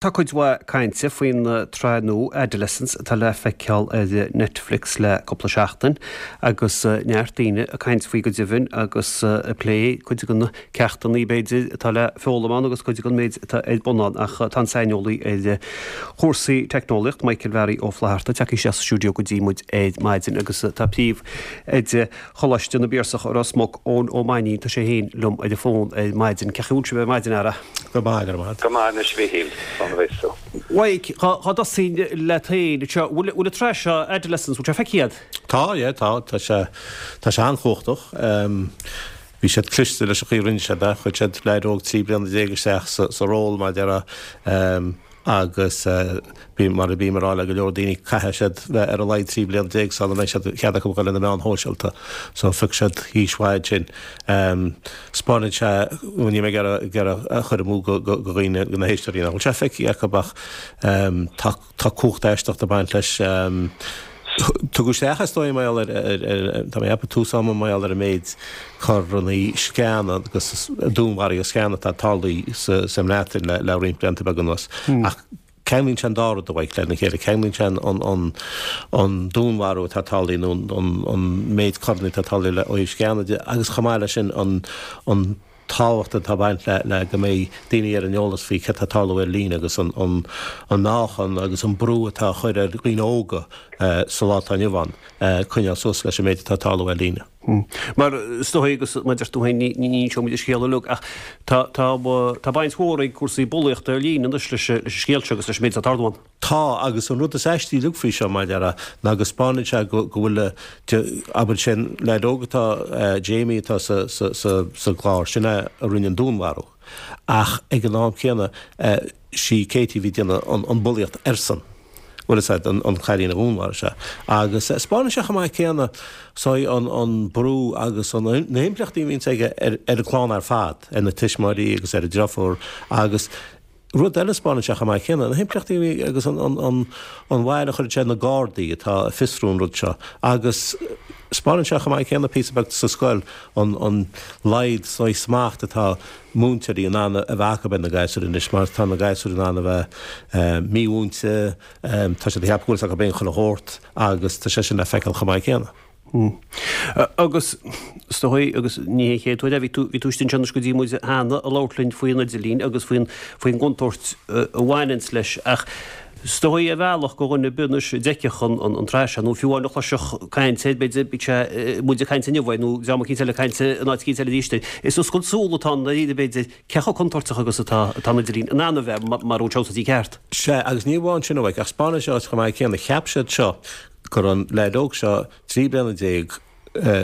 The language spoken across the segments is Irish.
Tá cuid mhaith cainte faoin tsraith nua Adolescence atá le feiceáil ar Netflix le cúpla seachtain agus neart daoine ag caint faoi go deimhin agus ag plé cuid de na ceachtanna b'fhéidir atá le foghlaim ann agus cuid den méid atá ar bun ann ach tá an saineolaí ar chúrsaí teicneolaíocht Michael Mhearaí Ó Flatharta tagtha isteach sa stiúideo go dtí muid ar maidin agus tá príomh oide Choláiste na bPiarsach i Ros Muc, Eoin Ó Mainnín, tá sé féin liom ar an bhfón ar maidin. Cén chaoi a bhfuil sibh ar maidin, a fheara? Go maith, go raibh maith agat. Go maith anois, a Mhíchíl, slán a bheas tú. Mhaidhc, dhá dtosóinn leat féin anseo, bhfuil an tsraith seo, Adolescence, bhfuil sé feicthe agat? Tá, yeah, tá. Tá sé, tá sé an-chumhachtach. Bhí siad cliste leis an chaoi a rinne siad é. Chuir siad leaid óg 13 bliana isteach sa ról, mar a déarfá. Agus bím, mar a bím ag rá le go leor daoine, caithfidh siad bheith ar a laghad 13 bliana sula mbeidh siad, cead acu a dhul ar na meáin shóisialta. So phioc siad aois mhaith ansin. 'Spáineann sé, bhuel níl mé ag iarraidh a chur amú go dhaoine, go na héisteoirí nach bhfuil sé feicthe acu ach tá, tá cumhacht aisteach ag baint leis. Tugadh isteach is dóigh mar gheall ar, tá mé ag ceapadh tús ama mar gheall ar an méid coireanna sceana agus dúnmharuithe sceana atá tarlaithe sa mBreatain le roinnt blianta beaga anuas. Ach ceanglaíonn sé an dá rud a Mhaidhc lena chéile, ceanglaíonn sé an dúnmharú atá tarlaithe nó an méid coireanna atá tarlaithe ó thaobh sceana de agus chomh maith leis sin an tábhacht atá ag baint le go mbeidh daoine ar an eolas faoi céard atá ag tarlú ar líne agus an meáchan agus an brú atá á chur ar dhaoine óga sa lá atá inniu ann coinneáil suas leis an méid atá ag tarlú ar líne. Mar is dóigh agus mar a deir tú féin ní inseoidh muid an scéal uilig ach tá tá baint mhór ag cúrsaí bulaíochta ar líne anois leis an scéal seo agus leis an méid atá ag tarlú ann. Tá, agus an rud is aistí uilig faoi seo, mar a déarfá, ná go 'spáineann sé go bhfuil, abair, sé'n leaid óg atá, Jamie atá sa, sa, sa, sa gclár, sin é a rinne an dúnmharú. Ach ag an am céanna, sí Katie a bhí ag déanamh an, an bulaíocht airsean. Bhfuil fhios a'd, an, an cailín a dhúnmharaigh sé. Agus 'spáineann sé chomh maith céanna, so, an, an brú agus an, na himpleachtaí a bhíonns aige ar, ar an gclann ar fad, ar na tuismitheoirí agus ar an driofúr agus, Rud eile, 'spáineann sé chomh maith céanna, na himpleachtaí a bhí agus an bhail a chuireann sé ar na Gardaí atá ag fiosrú an rud seo. Agus 'spáineann sé chomh maith céanna píosa beag sa scoil an laghad saghas smacht atá múinteoirí in ann a bheith acu ar na gasúir anois mar tá na gasúir in ann a bheith mímhúinte, tá siad ag ceapadh go bhfuil fhios acu féin chuile shórt agus tá sé sin le feiceáil chomh maith céanna. Agus is dóigh, agus ní hé an chéad uair é, bhí tú, bhí tú istigh anseo anois go dtí muid cheana ag labhairt linn faoin idirlíon agus faoin, faoin gcontúirt a bhaineanns leis ach is dóigh ar bhealach go dhuine ar bith anois a d'fheicfeadh an, an, an tsraith seo nó fiú amháin a chloisfeadh caint air, b'fhéidir, bíodh sé, muid ag caint inniu air nó dream eicínt eile ag caint in áit eicínt eile arís air. Is oscailt súl atá ann dáiríre b'fhéidir, cé chomh contúirteach agus atá, atá an idirlíon in ann a bheith mara bhfuil sé úsáidte ceart. Sea, agus ní amháin sin a Mhaidhc, ach 'spáineann sé chomh maith céanna, cheap siad seo go raibh an leaid óg seo 13 bliana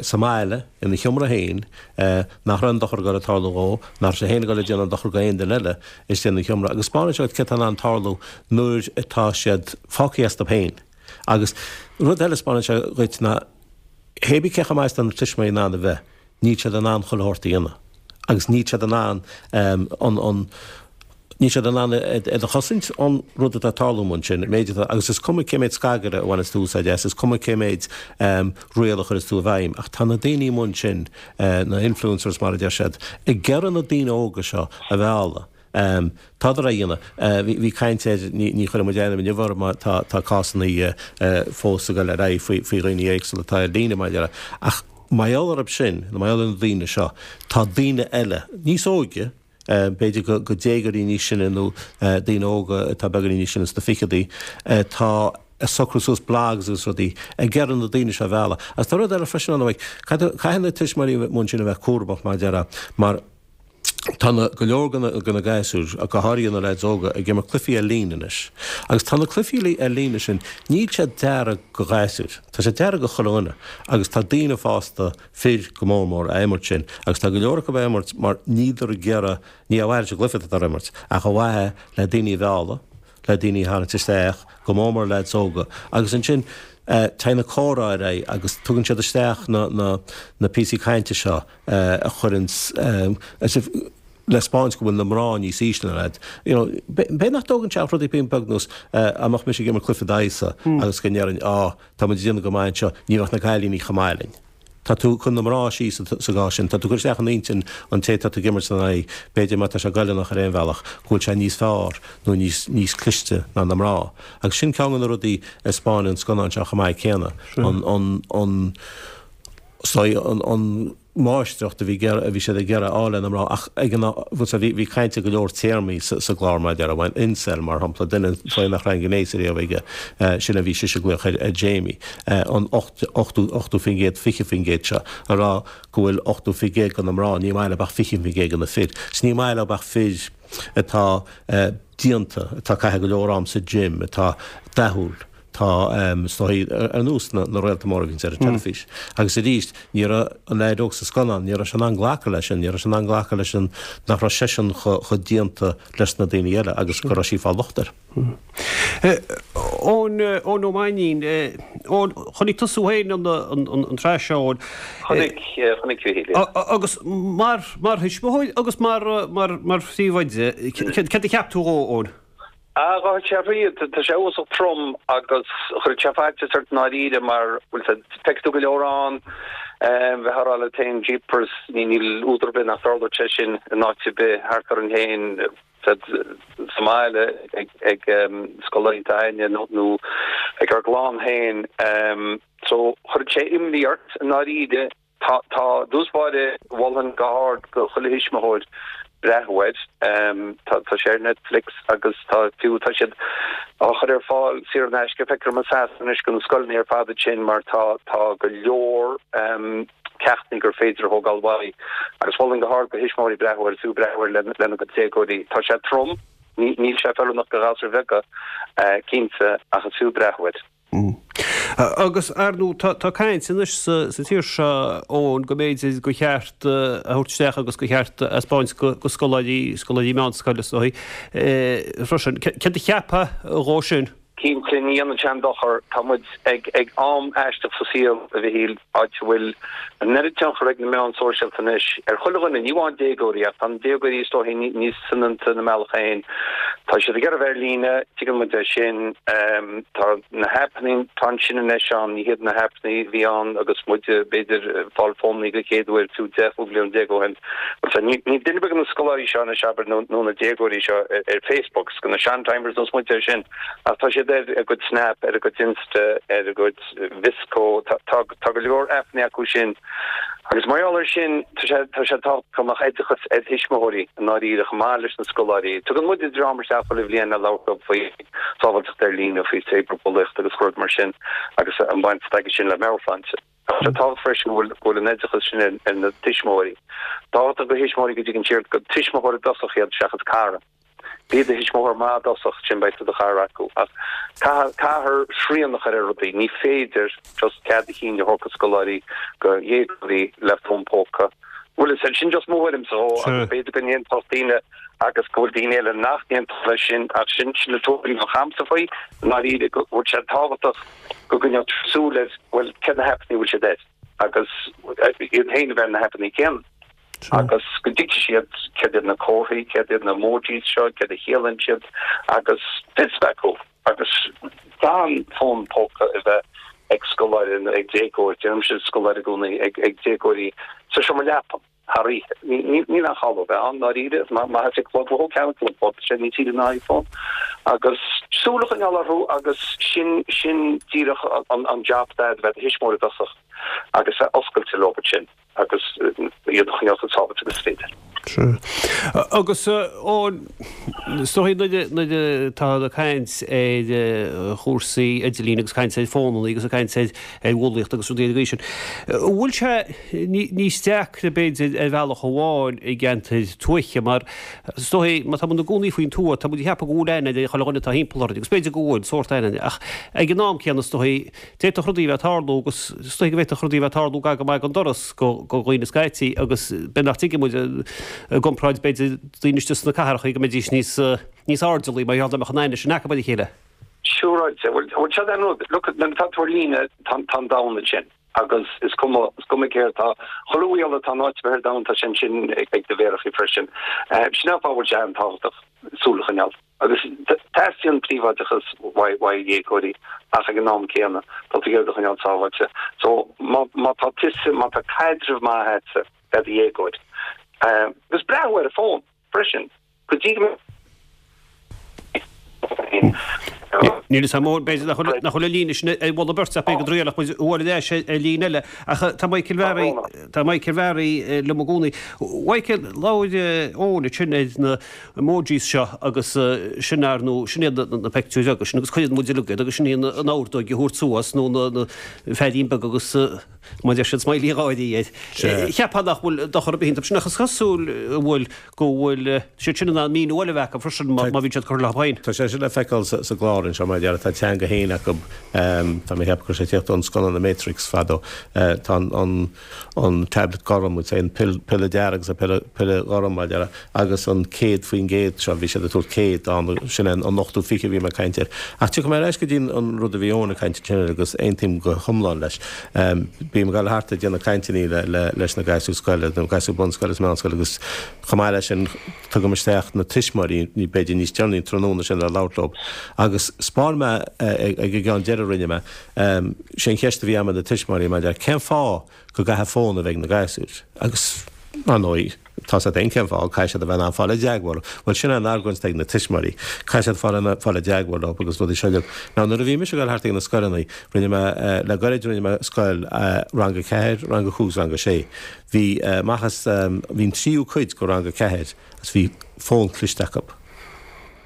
sa mbaile ina sheomra féin, nach raibh aon dochar ag dul ag tarlú dhó, nach raibh sé féin ag dul ag déanamh dochar go aon duine eile istigh ina sheomra. Agus 'spáineann sé céard atá in ann tarlú nuair atá siad fágtha astu féin. Agus rud eile a 'spáineann sé dhuit ná, hé bí cé chomh maith is atá na tuismitheoirí in ann a bheith, níl siad in ann chuile shórt a dhéanamh agus níl siad in ann an, an, níl siad in ann iad a chosaint ón rud atá ag tarlú ansin, an méid atá, agus is cuma cé méid scagaire a bhaineas tú úsáid as, is cuma cé méid riail a chuireas tú i bhfeidhm, ach tá na daoine amuigh ansin, na influencers mar a deir siad, ag iarraidh na daoine óga seo a mhealladh. Tádar á dhéanamh. Bhí caint air, ní chuirfidh muid ainm inniu orthu mar tá cásanna fós ag dul ar aghaidh faoi dhaoine éagsúla atá ar líne mar a déarfá. Ach mar gheall orthu sin, nó mar gheall ar na daoine seo, tá daoine eile, níos óige, b'fhéidir go déagóirí níos sine nó daoine óga atá beagáinín níos sine sna ficheadaí, atá ag socrú suas blogs agus rudaí, ag iarraidh na daoine seo a mhealladh. Agus tá rud eile freisin ann, caithfidh na tuismitheoirí amuigh ansin a bheith cúramach mar a déarfá, mar Tá na, go leor de na, de na gasúir, ach go háirithe na leaids óga, ag imirt cluichí ar líne anois. Agus tá na cluichí ar líne sin, níl siad deartha go ghasúir, tá siad deartha go chuile dhuine. Agus tá daoine fásta, fir go mór mór, á imirt sin. Agus tá go leor acu á imirt mar níldar ag iarraidh, ní ar mhaithe leis an gcluiche atá á imirt, ach ar mhaithe le daoine a mhealladh, le daoine a tharraingt isteach, go mór mór leaids óga. Agus ansin, téann an comhrá ar aghaidh agus tugann siad isteach na, na, na píosaí cainte seo. a chuireanns le 'spáint go bhfuil na mná níos ísle ná iad. You know, b'fhéidir nach dtógann sé ach rudaí beag ar nós dá mbeadh mise ag imirt cluiche d'aghaidhsa agus go ndéarfainn, á, tá muid ag déanamh go maith anseo, ní bheadh na cailíní chomh maith linn. Tá tú cur na mná síos sa gcás sin. Tá tú cur isteach in intinn an té atá tú ag imirt ina aghaidh, b'fhéidir má tá sé goilleanach ar aon bhealach, go bhfuil sé níos fearr nó níos níos cliste ná na mná. Agus sin ceann de na rudaí a 'spáineann an scannán seo chomh maith céanna, an an an an an máistreacht a bhí a bhí siad ag iarraidh a fháil ar na mná ach ag an bhfuil sé bhí bhí caint ar go leor téarmaí sa sa gclár mar a déarfá, incel mar shampla, duine faoi nach raibh aon ghnéas ariamh aige, sin a bhí sise ag glaoch ar ar Jamie, an 80%, 20% seo a rá go bhfuil 80% de na mná, ní maith leo ach 20% de na fir. 'S ní maith leo ach fir atá déanta, atá ag caitheamh go leor am sa gym, atá dathúil. Tá, is dóigh, ar nós na réalta móra a bhíonns ar an teilifís. Agus arís, ní raibh an leaid óg sa scannán, ní raibh sé in ann glacadh leis sin, ní raibh sé in ann glacadh leis an, nach raibh seisean chomh déanta leis na daoine eile agus go raibh sí ag fáil locht air. Eoin, Eoin Ó Mainnín, Eoin, chonaic tusa féin an tsraith seo, Eoin. Chonaic, chonaic, a Mhíchíl, yeah. Agus mar, mar thuismitheoir agus mar, mar, mar phríomhoide, céard a cheap tú dhó, Eoin? Ah, ghabh sé thríd, tá sé uafásach trom agus chuirfeadh sé faitíos ort i ndáiríre mar, bhfuil 's a'd, feicfidh tú go leor ann, bheifeá a rá leat féin jeepers, níl údar ar bith nach dtarlódh sé sin in áit ar bith thart orainn féin, 's a'd, sa mbaile ag ag scoláirí s'againne nó nó ag ár gclann féin. So chuirfeadh sé imní ort i ndáiríre. Tá, tá, i dtús báire, mholfainn go hard go chuile thuismitheoir breathnú air. Tá, tá sé ar Netflix agus tá, fiú, tá siad á chur ar fáil saor in aisce, feictear dom i Sasana anois do na scoileanna ar fad ansin mar tá, tá go leor ceachtanna gur féidir a thógáil uaidh. Agus mholfainn go hard go thuismitheoirí breathnú air, fiú breathnú air lena gcuid déagóirí. Tá sé trom, ní, níl sé feiliúnach do ghasúir bheaga, cinnte, ach is fiú breathnú air. Agus, ar ndóigh, tá caint anois sa tír seo, Eoin, go mb'fhéidir gur cheart a thabhairt isteach agus gur cheart a thaispeáint go scoláirí, scoláirí meánscoile is dóigh, freisin. Céard a cheapfá dhó sin? Cinnte, ní dhéanann sé aon dochar. Tá muid ag ag am aisteach sa saol, a Mhichíl, áit a bhfuil an oiread tionchar ag na meáin sóisialta anois ar chuile dhuine, ní amháin déagóirí, ach tá na déagóirí is dóichí níos soineanta ina mbealach féin. Tá siad ag iarraidh a bheith ar líne, tuigeann muid é sin. Tá na haipeanna atá ansin anois ann, ní hiad na haipeanna a bhí ann agus muid, b'fhéidir, ag fáil fónanna den chéad uair fiú 10, 15 bliain ó shin. Níl duine ar bith de na scoláirí seo anois, abair, nó na déagóirí seo ar Facebook, is de na sean-timers nós muid é sin, ach tá siad ar a gcuid Snap, ar a gcuid Insta, ar a gcuid VSCO, tá go leor aipeanna acu sin. Agus mar gheall air sin, tá sé tá sé tábhachtach go mbeadh oideachas ar thuismitheoirí i ndáiríre chomh maith leis na scoláirí. Tugann muide dream isteach chuile bhliain le labhairt leo faoi sábháilteacht ar líne, faoi cyberbulaíocht agus rud mar sin agus an bhaint atá aige sin le meabhairshláinte. Tá sé tábhachtach freisin go bhfuil go bhfuil an oideachas sin ar ar na tuismitheoirí. Tábhachtach do thuismitheoirí go dtuigeann siad gur tuismitheoir i dtosach iad seachas cara. Bí i do thuismitheoir maith i dtosach, ansin beidh tú i do chara acu. Ach caithfear, caithfear srian a chur ar rudaí. Ní féidir just cead a chinn a thabhairt do scoláirí, do dhéagóirí le fón póca. Bhuel, is sin just mo thuairimse dhó agus b'fhéidir go n-aontódh daoine agus go bhfuil daoine eile nach n-aontódh leis sin ach sin, sin an tuairim a bheadh a'msa faoi, i ndáiríre, go bhfuil sé tábhachtach go gcoinneodh tú súil ar, bhuel, cé na haipeanna a bhfuil siad air agus iad féin a bheith ar na haipeanna céanna. agus go dtuigfidh siad céard iad na comharthaí, céard iad na emojis seo, céard a chiallaíonn siad agus fios a bheith acu agus gan fón póca a bheith ag scoláire nó ag déagóir, deirimse scoláire i gcónaí, ag déagóirí sa seomra leapan thar oíche. Níl aon chall dó bheith ann, ndáiríre, má tá sé ag lorg ceann clog, tá sé níos saoire ná iPhone. Agus súil a choinneáil orthu agus sin, sin díreach an job dad a bheith i do thuismitheoir i dtosach agus bheith oscailte leo ansin. agus iad a choinneáil chomh sábháilte agus is féidir. Sea. Agus Eoin, is dóigh nuair atá ag caint ar chúrsaí idirlín agus caint ar fónanna agus ag caint ar bhulaíocht agus rudaí ar an gcaoi sin, an bhfuil sé níos deacra b'fhéidir ar bhealach amháin i gceantair tuaithe mar is dóigh má tá muid ina gcónaí faoin tuath tá muid ag ceapadh go bhfuil aithne ar chuile dhuine atá thimpeall orainn agus b'fhéidir go bhfuil sórt aithne ach ag an am céanna is dóigh D'fhéadfadh rudaí a bheith ag tarlú agus is dóigh go bhféadfadh rudaí a bheith ag tarlú gar go maith don doras go dhaoine scaití agus b'fhéidir nach dtuigeann muid i gcomparáid b'fhéidir daoine istigh sna cathracha go mbeidís níos níos airdeallaí mar gheall dá mbeadh an aithne sin acu ar a chéile. Siúráilte. Bhuel, bhuel seo an rud, look, nuair atá tú ar líne tá an domhan ansin agus is cuma, is cuma céard tá, chuile bhaol atá in áit ar bith ar domhan tá sé ansin ag do mhéarachaí freisin. Sin an fáth a bhfuil sé an-tábhachtach. súil a choinneáil. Agus teastaíonn príobháideachas uaidh dhéagóirí ach ag an am céanna tá tú ag iarraidh iad a choinneáil sábháilte. So má má tá tusa, má tá caidreamh maith agatsa le do dhéagóir agus breathnú ar an bhfón freisin go dtí go mbeidh Níl a fhios agam, b'fhéidir nach bhfuil nach bhfuil an líne sin ar bhun beirt ach b'fhéidir go dtriailfeadh muid bualadh ar ais ar líne eile. Ach tá Michael Bharry, tá Michael Bharry liom i gcónaí. Michael, labhair Eoin ansin ar na emojis seo agus sin ar nó sin iad na pictiúir agus sin agus cuireann muid uilig iad agus sin í an ordóg a thabhairt suas nó na feairín beag agus mar deir siad smiley gáirí air. Cheapfá nach bhfuil dochar ar bith iontu sin ach is cosúil go bhfuil go bhfuil siad sin in ann míniú eile a bheith acu freisin má bhíonn siad curtha leo féin. Tá sé sin le feiceáil sa gclár anseo mar a déarfá tá teanga féin acu tá mé ag ceapadh go raibh sé ag tíocht ón scannán The Matrix fadó. Tá an an tablet gorm, we'd say an piolla dearg agus an piolla gorm mar a déarfá, agus an 100% seo, bhí siad ag tabhairt 100 ann, sin é an 80 20 a bhí mé ag caint air. Ach tiocfaidh mé ar ais go dtí an rud a bhí Eoin ag caint ansin air agus aontaím go hiomlán leis. Bím ag dul thart ag déanamh cainteanna leis na gasúir scoile, na gasúir bunscoile is meánscoile agus chomh maith leis sin tugaim isteach na tuismitheoirí, b'fhéidir níos deireanaí an tráthnóna sin le labhairt leo. Agus 'spáin mé ag an gceann deiridh a rinne mé, Sé an cheist a bhí agam ar na tuismitheoirí maidir le cén fáth go gcaithfidh fón a bheith ag na gasúir? Agus, ar ndóigh, tá 's agat féin cén fáth, caithfidh siad a bheith in ann fáil i dteagmháil. Bhuel, sin é an argóint atá ag na tuismitheoirí. Caithfidh siad fáil fáil i dteagmháil leo agus rudaí seo uilig. Now, nuair a bhí mise ag dul thart ag na scoileanna, rinne mé, le gairid rinne mé scoil rang a ceathair, rang a cúig is rang a sé. Bhí, amach as, bhí an tríú cuid de rang a ceathair agus bhí fón cliste acu.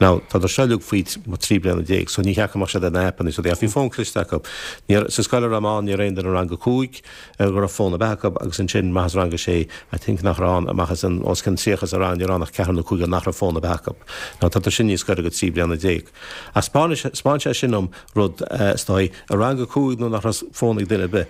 Now, tádar seo uilig faoi 13 bliana, so ní cheart go mbeadh siad ar na haipeanna is rudaí, ach bhí fón cliste acu. Ní raibh, sa scoil a raibh mé ann, ní raibh aon duine i rang a cúig go raibh fón ar bith acu agus ansin amach as rang a sé, I think nach raibh ann, amach as an, os cionn 30 sa rang, ní raibh ann ach ceathrar nó cúigear nach raibh fón ar bith acu. Now, tádar sin níos gaire go 13 bliana. Ach 'spáin, 'spáin sé sin dom rud, is dóigh, i rang a cúig nuair nach raibh fón ag duine ar bith,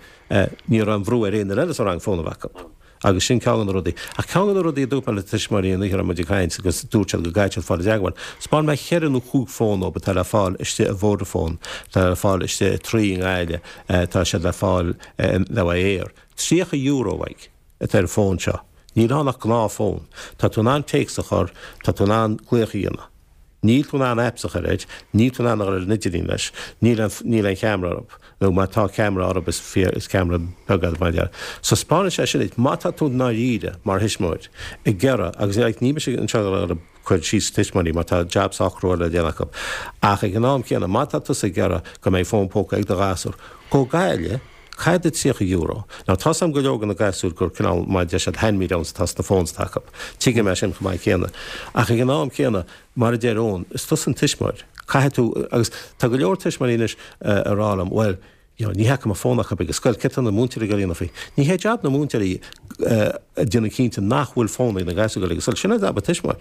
ní raibh aon bhrú ar aon duine eile sa rang fón a bheith acu. Agus sin ceann de na rudaí. Ach ceann de na rudaí a dúirt mé le tuismitheoirí an oíche a raibh muid ag caint agus dúirt siad go gcaithfidh siad fáil i dteagmháil. 'Spáin mé cheithre nó chúig fón dóibh atá le fáil istigh i Vodafone, atá le fáil istigh i Three i nGaillimh, tá siad le fáil le Eir. €30 uaidh atá ar an bhfón seo. Níl ann ach gnáthfhón. Tá tú in ann téacs a chur, tá tú in ann glaoch a dhéanamh. Níl tú in ann apps a chur air, níl tú in ann a dhul ar an idirlíon leis, níl aon, níl aon cheamara orthu, nó má tá ceamara orthu is fíor, is ceamara beag é mar a déarfá. So 'spáineann sé sin duit, má tá tú i ndáiríre mar thuismitheoir ag iarraidh, agus like ní mise anseo ag cur síos ar tuismitheoirí mar tá jab sách crua le déanamh acu, ach ag an am céanna má tá tusa ag iarraidh go mbeidh fón póca ag do ghasúr, gabh go Gaillimh, Caith do €30. Now tá's a'm go leor de na gasúir gur cineál mar a deir siad hand me downs atá sna phones atá acu. Tuigim é sin chomh maith céanna. Ach ag an am céanna, mar a deir Eoin, is tusa an tuismitheoir. Caithfidh tú, agus tá go leor tuismitheoirí anois ag rá liom, bhuel, you know, ní fheicim an fón acu ag an scoil, céard tá na múinteoirí ag dul a dhéanamh faoi? Ní hé jab na múinteoirí déanamh cinnte nach bhfuil fón ag na gasúir ag dul ag an scoil. Sin é jab an tuismitheoir.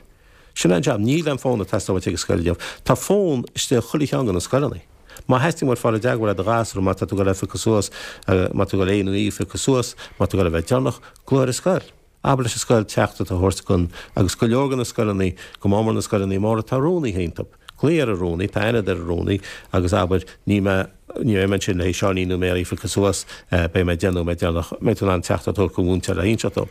Sin é an jab. Níl aon fón ag teastáil uait ag an scoil inniu. Tá fón istigh i chuile cheann de na scoileanna. Má theastaíonn uait fáil i dteagmháil le do ghasúr, má tá tú ag dul a phiocadh suas, má tá tú ag dul é nó í a phiocadh suas, má tá tú ag dul a bheith deireanach, glaoigh ar an scoil. Abair leis an scoil teachtaireacht a thabhairt gon, agus go leor de na scoileanna, go mór mór na scoileanna móra, tá rúnaithe iontu. Glaoigh ar an rúnaí, tá aithne agat ar an rúnaí, agus abair, níl mé, ní bheidh mé ansin le haghaidh Seáinín nó Mary a phiocadh suas, beidh mé deich nóiméad deireanach, mbeidh tú in ann teachtaireacht a thabhairt don mhúinteoir le hinseacht dó.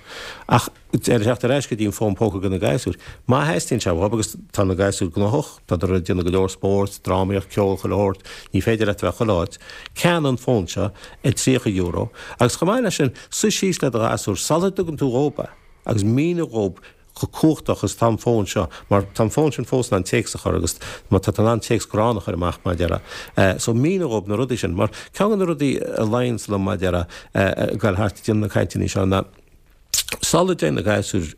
Ach. Ag teacht ar ais go dtí an fón póca do na gasúir. Má theastaíonn sé uathub, agus tá na gasúir gnóthach, tádar ag déanamh go leor spóirt, drámaíocht, ceol, chuile shórt, ní féidir leat a bheith chuile áit, ceannaigh an fón seo ar €30 agus chomh maith leis sin, suigh síos le do ghasúr sula dtugann tú dhób é agus mínigh dhób chomh cumhachtach is atá an fón seo mar tá an fón sin fós in ann téacs a chur agus má tá tú in ann téacs gránna a chur amach mar a déarfá. So mínigh dhób na rudaí sin mar ceann de na rudaí a luíonns liom mar a déarfá ag dul thart ag déanamh na cainteanna seo ná Sula dtéann na gasúir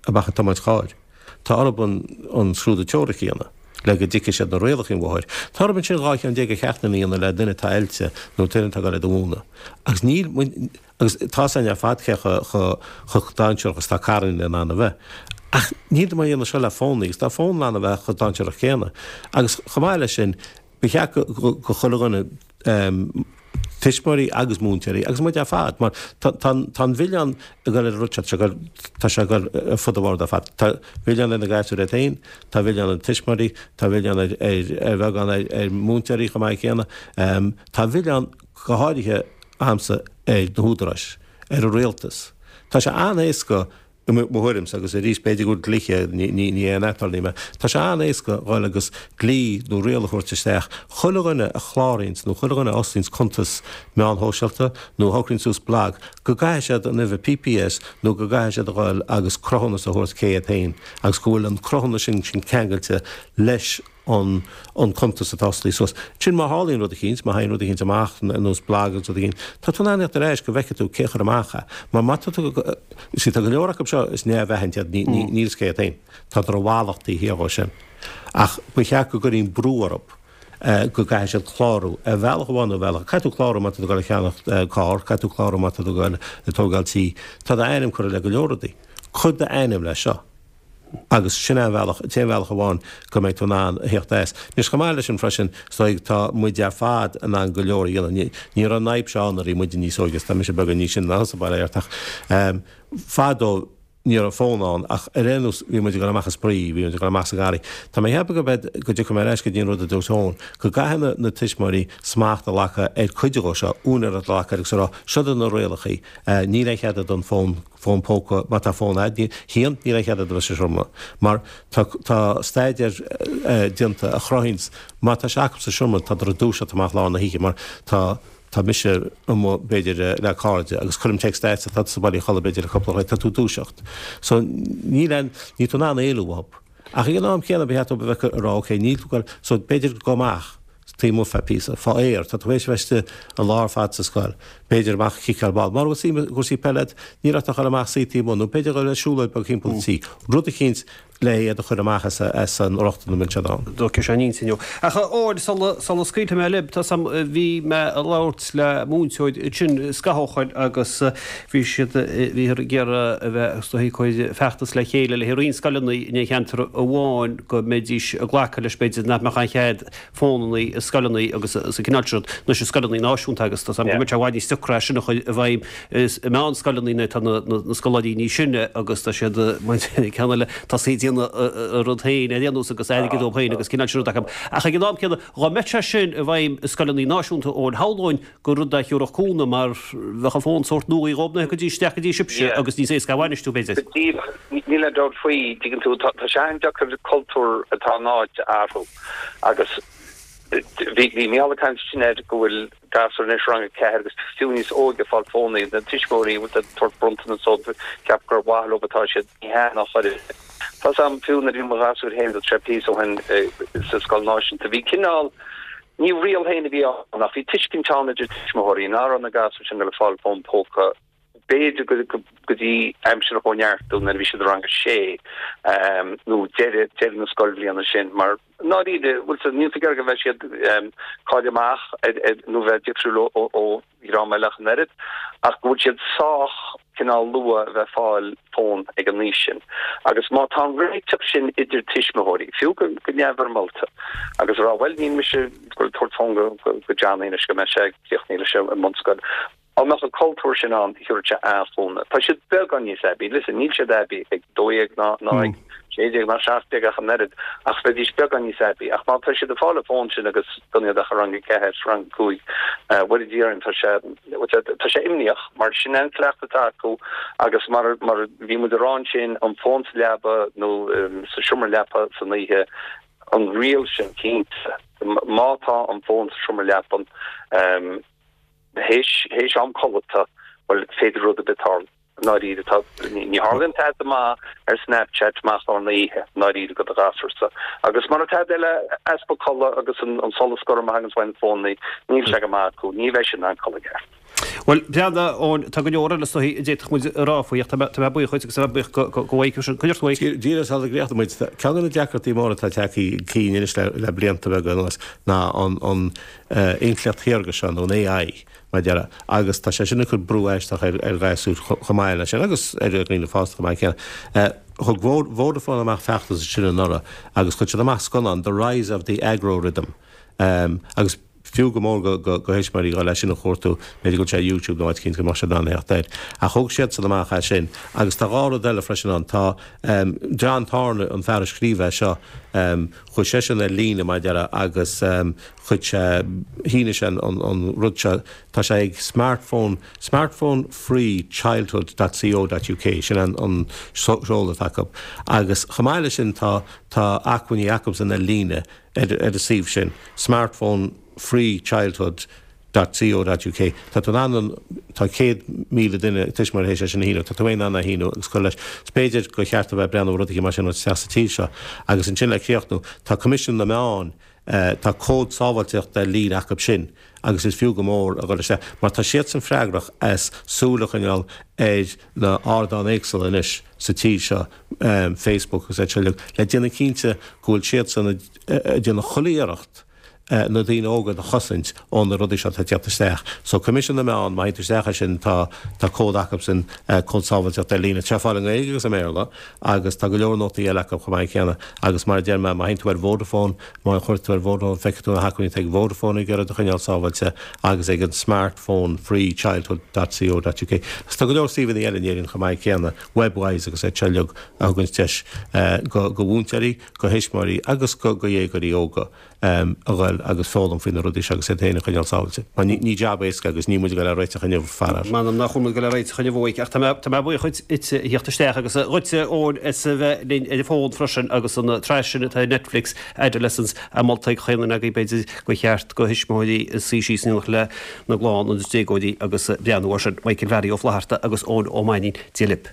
amach ag tiomáint chairr, tá orthu an scrúdú teoirice a dhéanamh le go dtuigfidh siad na rialacha an bhóthair. Tá orthu ansin 12 cheann de cheachtanna a dhéanamh le duine atá oilte nó duine atá ag dul iad a mhúineadh. Agus níl muid, agus tá's againn ar fad cé chomh dainséarach is atá carranna in ann a bheith. Ach níl muid a dhéanamh seo le fónnaí agus tá fón in ann a bheith chomh dainséarach céanna. Agus chomh maith leis sin, Ba cheart go chuile dhuine, tuismitheoirí agus múinteoirí, agus muid ar fad, mar tá an milleán ag dul ar an rud seo, tá sé ag dul ar fud an bhoird ar fad. Tá milleán ar na gasúir iad féin, tá milleán ar na tuismitheoirí, tá milleán ar ar bheagán ar mhúinteoirí chomh maith céanna. Tá milleán go háirithe agamsa ar na húdaráis, ar an rialtas. Tá sé an-éasca. I mo thuairimse, agus arís b'fhéidir go bhfuil dlíthe, ní aon aturnae mé, tá sé an-éasca dhul agus dlí nó riail a thabhairt isteach, chuile dhuine a chláraíonns nó chuile dhuine a osclaíonns cuntas meán shóisialta nó a shocraíonn suas blag, go gcaithfidh siad an uimhir PPS nó go gcaithfidh siad a dhul agus cruthúnas a thabhairt cé hiad féin agus go bhfuil an cruthúnas sin ceangailte leis an an cuntas atá osclaithe suas. Sin má tharlaíonn rud eicínt, má thagann rud eicínt amach, ar nós blag agus rud eicínt, tá tú in ann a thíocht ar ais go bhfeicfidh tú cé a chuir amach é. Mar má tá tú, you see, tá go leor acu seo is neamhaithint iad, ní, ní, níl fhios cé hiad féin. Tádar i bhfalach taobh thiar dhó sin. Ach ba cheart go gcuirfí brú orthu go gcaithfidh siad clárú ar bhealach amháin nó ar bhealach. Caithfidh tú clárú má tá tú ag dul a cheannacht carr, caithfidh tú clárú má tá tú ag dul ag tógáil tí. Tá d'ainm curtha le go leor rudaí. Cuir d'ainm leis seo. Agus sin é an bhealach, an t-aon bhealach amháin go mbeidh tú in ann a theacht as. Anois, chomh maith leis sin freisin, is dóigh, tá muid ar fad in ann go leor a dhéanamh. Ní raibh an fhadhb seo ann nuair a bhí muide níos óige, is tá mise beagán níos sine ná thusa, bail ó Dhia ort, ach fadó ní raibh fón ann ach ar aon nós bhí muid ag dul amach ag spraoi, bhí muid ag dul amach sa ngarraí. Tá mé ag ceapadh go mbeidh, go dtiocfaidh mé ar ais go dtí an rud a dúirt Eoin, go gcaithfidh na, na tuismitheoirí smacht a ghlacadh ar cuid dhó seo, úinéireacht a ghlacadh air agus a rá, seo iad na rialachaí, níl aon chead a'd an fón, fón póca, má tá fón a'd, níl, níl aon chead a'd a bheith sa seomra, mar tá, tá staidéar déanta a chruthaíonns má tá sé acu sa seomra, tádar ag dúiseacht amach lár na hoíche, mar tá, tá mise amuigh b'fhéidir le cairde agus cuirim text a'dsa, tá tusa bailithe a chodladh b'fhéidir le cúpla uair, tá tú ag dúiseacht. So níl aon, níl tú in ann éalú uathu. Ach ag an am céanna ba cheart dóibh a bheith ag rá ok níl tú ag goil, so b'fhéidir gabh amach taobh amuigh feadh píosa, fá aer, tá tú théis a bheith istigh an lá ar fad sa scoil, b'fhéidir amach ag ciceáil ball, mura bhfuil suim i gcúrsaí peile agat, níl ort ach dul amach suí taobh amuigh nó b'fhéidir dul ar siúlóid beag thimpeall an tí, rud eicínt le iad a chur amach as an rochtain a mbíonn siad ann. D'fhócair sé an intinn inniu. Ach a Eoin, sula, sula scaoilfidh mé libh, tá sam, bhí mé ag labhairt le múinteoir ansin scaitheamh ó shoin agus Bhí siad, bhíothar ag iarraidh a bheith, is dóigh, ag cur feachtas le chéile le roinnt scoileanna in aon cheantar amháin go mbeidís ag glacadh leis, b'fhéidir, nach mbeadh aon chead fónanna i scoileanna agus sa cineál sin rud, anois i scoileanna náisiúnta agus tá 's agam go mbeadh sé i bhfad níos deacra é sin a chur i bhfeidhm i meánscoileanna nuair atá na scoláirí níos sine agus tá siad, ceann eile, tosaithe ag déanamh a rud féin ar aon nós agus airgead dóibh féin agus cineál sin rud acu. Ach ag an am céanna, dhá mbeadh sé sin i bhfeidhm i scoileanna náisiúnta Eoin, shamhlóinn gur rud a thiúrfadh cúnamh mar bheadh an fón sórt nuaí dhóibh nuair a thiocfaidís isteach go dtí sibhse agus níos éasca a bhainistiú, b'fhéidir. Go díreach. Níl aon dabht faoi, dtuigeann tú, tá sé an-deacair cultúr atá in áit a athrú agus bhí bhí Mícheál ag caint ansin air go bhfuil gasúir anois rang a ceathair agus fiú níos óige ag fáil fónaí, na tuismitheoirí ag tabhairt bronntanas dóibh, ceap gur mhaith leo atá siad, ní hea ná chor ar bith. Tá 's a'm fiú nuair a bhí mo ghasúir féin, tá sé píosa ó shin sa scoil náisiúnta, bhí cineál, Ní riail féin a bhí ann ach bhí tuiscint ann idir tuismitheoirí ná raibh na gasúir sin ag fáil fón póca b'fhéidir go dtí aimsir an Chóineartú nuair a bhí siad i rang a sé nó deireadh deireadh na scoilbhliana sin mar ndáiríre bhfuil sa níl tú ag iarraidh go mbeidh siad cáilithe amach nó bheith difriúil ó dhream eile ach an oiread, ach go bhfuil siad sách cineál luath a bheith ag fáil fón ag an aois sin. Agus má tá an réiteach sin idir tuismitheoirí, fiú go neamhfhoirmeálta, agus a rá, bhuel, níl mise ag goil ag tabhairt fón go Johnny anois go mbeidh sé críochnaithe leis an mbunscoil. Dá mbeadh an cultúr sin ann, thiúrfadh sé an-chúnamh. Tá siad beagán níos aibí. Listen, níl siad aibí ag 12 ná ag 16 ná 17 ach an oiread, ach bheidís beagán níos aibí. Ach má tá siad ag fáil an fón sin agus gan iad ach i rang 4, rang 5, bhuel a Dhia orainn, tá sé, tá sé imníoch mar sin é an cleachtadh atá acu agus mar, mar a bhí muid a rá ansin, an fón sa leaba nó sa seomra leapa san oíche, an riail sin cinnte, má tá an fón sa seomra leapan, théis, théis am codlata, bhuel, féidir rud ar bith tarlú. ndáiríre, tá, ní tharlaíonn tada maith ar Snapchat amach lár na hoíche, i ndáiríre, do do ghasúrsa. Agus mura tada eile, easpa codladh agus an solas gorm a thaganns uaidh na fónnaí, níl sé go maith acu, ní bheidh siad in ann codladh i gceart. Bhuel, breathnaigh, Eoin, tá go leor eile is dóichí a d'fhéadfadh muid a rá faoi ach tá mé, tá mé buíoch dhuit agus tá mé buíoch go, go, go bhfaighidh sin. Cuideachta uaidh. Díreach sula gcríochnóidh muid, ceann de na deacrachtaí móra atá tagtha chun cinn anois le, le blianta beaga anuas ná an, an intleacht shaorga seo nó an AI. mar a déarfá, agus tá sé sin ag cur brú aisteach ar ghasúir chomh maith leis sin, agus ar dhaoine fásta chomh maith céanna. Thug Vodafone amach feachtas ansin anuraidh agus chuir siad amach scannán, The Rise of the Aggro-Rhythm, agus. Fiú go mór go thuismitheoirí dhul é sin a chuartú, b'fhéidir go bhfuil sé ar YouTube nó áit eicínt go mbeadh siad in ann theacht air. Ach thóg siadsan amach é sin. Agus tá dhá rud eile freisin ann. Tá John Thorne, an fear a scríobh é seo, chuaigh seisean ar líne, mar a déarfá, agus chuir sé, shínigh sé an rud seo, tá sé ag smartphone, smartphonefreechildhood dot co dot uk, sin an seoladh atá acu. Agus chomh maith leis sin tá, tá acmhainní acusan ar líne ar an suíomh sin, smartphonefreechildhood dot co dot uk. Tá tú in ann an, tá 100,000 duine, tuismitheoir théis é sin a shíniú, tá tú in ann é a shíniú agus cur leis. Is b'fhéidir gur cheart a bheith ag breathnú ar rudaí mar sin a thabhairt isteach sa tír seo. Agus ansin le críochnú, tá Coimisiún na Meán, tá cód sábháilteachta ar líne acu sin agus is fiú go mór a dhul isteach mar tá siadsan freagrach as súil a choinneáil ar na hardáin éagsúla anois sa tír seo, Facebook agus iad seo uilig, le déanamh cinnte go bhfuil siadsan ag déanamh chuile iarracht na daoine óga do chosaint ó na rudaí seo atá ag teacht isteach. So Coimisiún na Meán, má théann tú isteach air sin tá tá cód acubsan, cód sábháilteachta ar líne. Tá sé ar fáil i nGaeilge agus i mBéarla agus tá go leor nótaí eile acu chomh maith céanna agus mar a deir mé, má théann tú ar Vodafone, má chuir tú ar Vodafone feicfidh tú na hacmhainní atá ag Vodafone ag iarraidh do choinneáil sábháilte agus ag an smartphone free childhood dot co dot uk. Agus tá go leor suíomhanna eile in Éirinn chomh maith céanna, Webwise agus iad seo uilig a thuganns deis go go mhúinteoirí, go thuismitheoirí agus go go dhéagóirí óga a ghoil agus foghlaim faoi na rudaí seo agus iad féin a choinneáil sábhailte. Mar ní ní jab éasca agus níl muid ag goil á réiteach inniu, faraor. M'anam nach bhfuil muid ag goil á réiteach inniu a Mhaidhc ach tá mé tá mé buíoch dhuit as a theacht isteach agus dhuitse Eoin as a bheith linn ar an bhfón freisin agus an tsraith sin atá ar Netflix, Adolescence, á molta ag chaon duine agaibh b'fhéidir gur cheart go thuismitheoirí suí síos in éineacht lena gclann agus déagóirí agus breathnú air sin. Michael Mheaidí Ó Flatharta agus Eoin Ó Mainnín, Dia libh.